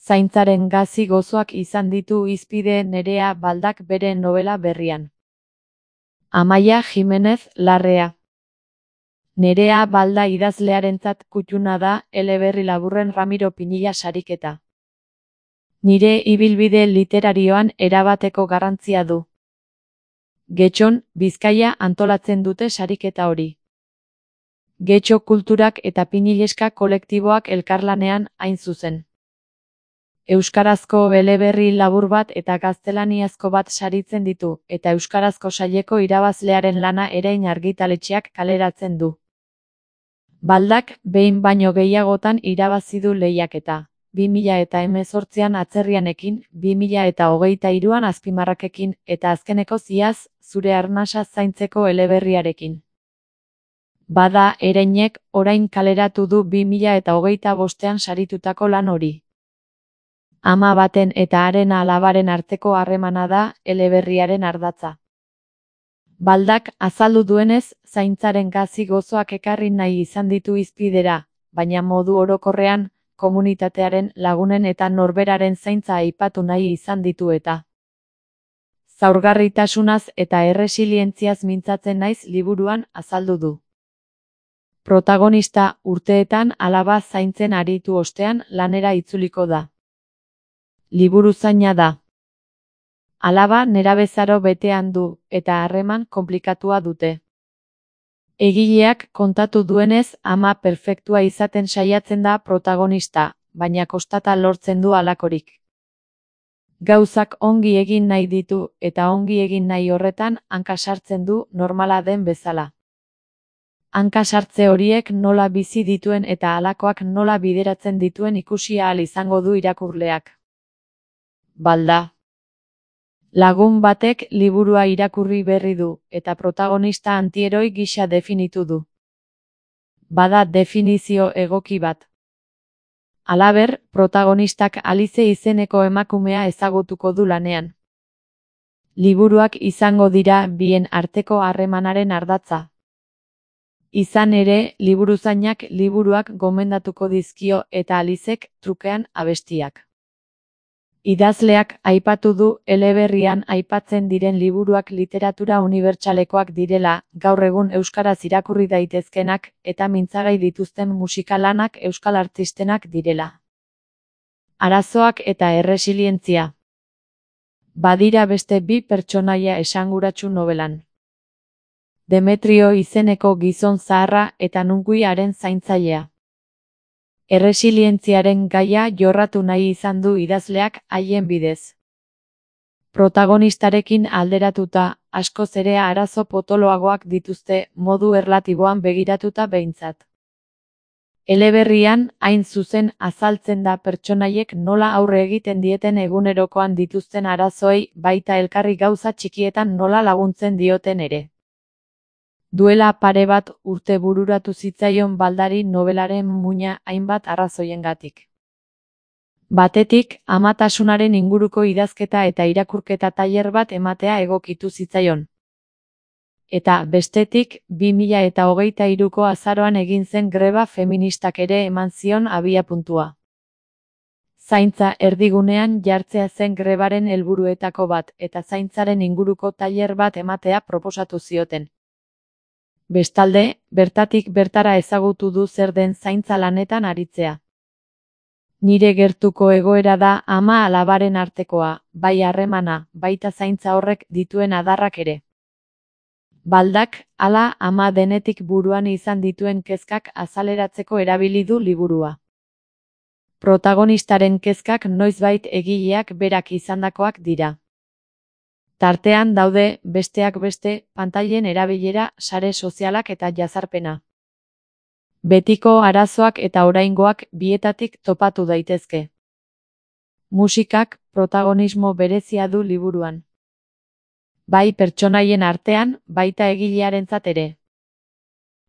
Zaintzaren gazi gozoak izan ditu hizpide Nerea Baldak bere nobela berrian. Amaia Jimenez Larrea. Nerea Balda idazlearentzat kutxuna da eleberri laburren Ramiro Pinilla sariketa. Nire ibilbide literarioan erabateko garrantzia du. Getxon, Bizkaia antolatzen dute sariketa hori. Getxo Kulturak eta Pinilleska kolektiboak elkarlanean hain zuzen. Euskarazko eleberri labur bat eta gaztelaniazko bat saritzen ditu, eta euskarazko saileko irabazlearen lana Erein argitaletxeak kaleratzen du. Baldak behin baino gehiagotan irabazi du lehiaketa. 2018an Atzerrianekin, 2023an Azpimarrakekin, eta azkeneko Iaz, zure arnasa zaintzeko eleberriarekin. Bada, Ereinek orain kaleratu du 2025an saritutako lan hori. Ama baten eta haren alabaren arteko harremana da eleberriaren ardatza. Baldak azaldu duenez, zaintzaren gazi gozoak ekarri nahi izan ditu hizpidera, baina modu orokorrean, komunitatearen, lagunen eta norberaren zaintza aipatu nahi izan ditu eta. Zaurgarritasunaz eta erresilientziaz mintzatzen naiz liburuan azaldu du. Protagonista urteetan alaba zaintzen aritu ostean lanera itzuliko da. Liburu zaina da. Alaba nerabezaro betean du, eta harreman konplikatua dute. Egileak kontatu duenez ama perfektua izaten saiatzen da protagonista, baina kostata lortzen du halakorik. Gauzak ongi egin nahi ditu, eta ongi egin nahi horretan hanka sartzen du normala den bezala. Hanka sartze horiek nola bizi dituen eta halakoak nola bideratzen dituen ikusi ahal izango du irakurleak. Balda. Lagun batek liburua irakurri berri du, eta protagonista antieroi gisa definitu du. Bada definizio egoki bat. Halaber, protagonistak Alize izeneko emakumea ezagutuko du lanean. Liburuak izango dira bien arteko harremanaren ardatza. Izan ere, liburuzainak liburuak gomendatuko dizkio eta Alizek trukean abestiak. Idazleak aipatu du eleberrian aipatzen diren liburuak literatura unibertsalekoak direla, gaur egun euskaraz irakurri daitezkenak eta mintzagai dituzten musikalanak euskal artistenak direla. Arazoak eta erresilientzia. Badira beste bi pertsonaia esanguratsu nobelan. Demetrio izeneko gizon zaharra eta Nunguiaren zaintzailea. Erresilientziaren gaia jorratu nahi izan du idazleak haien bidez. Protagonistarekin alderatuta, askoz ere arazo potoloagoak dituzte modu erlatiboan begiratuta behintzat. Eleberrian, hain zuzen azaltzen da pertsonaiek nola aurre egiten dieten egunerokoan dituzten arazoei baita elkarri gauza txikietan nola laguntzen dioten ere. Duela pare bat urte bururatu zitzaion Baldari nobelaren muina hainbat arrazoiengatik. Batetik, amatasunaren inguruko idazketa eta irakurketa tailer bat ematea egokitu zitzaion. Eta bestetik, 2023ko azaroan egin zen greba feministak ere eman zion abiapuntua. Zaintza erdigunean jartzea zen grebaren helburuetako bat, eta zaintzaren inguruko tailer bat ematea proposatu zioten. Bestalde, bertatik bertara ezagutu du zer den zaintza lanetan aritzea. Nire gertuko egoera da ama alabaren artekoa, bai harremana, baita zaintza horrek dituen adarrak ere. Baldak, hala ama denetik buruan izan dituen kezkak azaleratzeko erabili du liburua. Protagonistaren kezkak noizbait egileak berak izandakoak dira. Tartean daude, besteak beste, pantailen erabilera, sare sozialak eta jazarpena. Betiko arazoak eta oraingoak bietatik topatu daitezke. Musikak protagonismo berezia du liburuan. Bai pertsonaien artean, baita egilearentzat ere.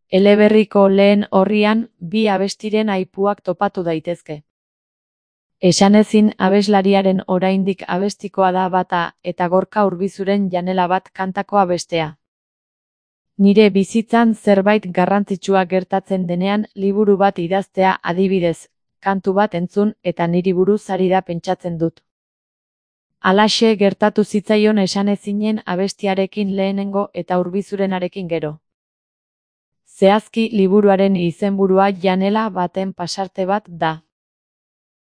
Eleberriko lehen orrian, bi abestiren aipuak topatu daitezke. Esanezin abeslariaren oraindik abestikoa da bata eta Gorka Urbizuren Janela bat kantakoa bestea. Nire bizitzan zerbait garrantzitsua gertatzen denean liburu bat idaztea adibidez, kantu bat entzun eta niri buruz ari da pentsatzen dut. Halaxe gertatu zitzaion esanezinen abestiarekin lehenengo eta urbizurenarekin gero. Zehazki liburuaren izenburua janela baten pasarte bat da.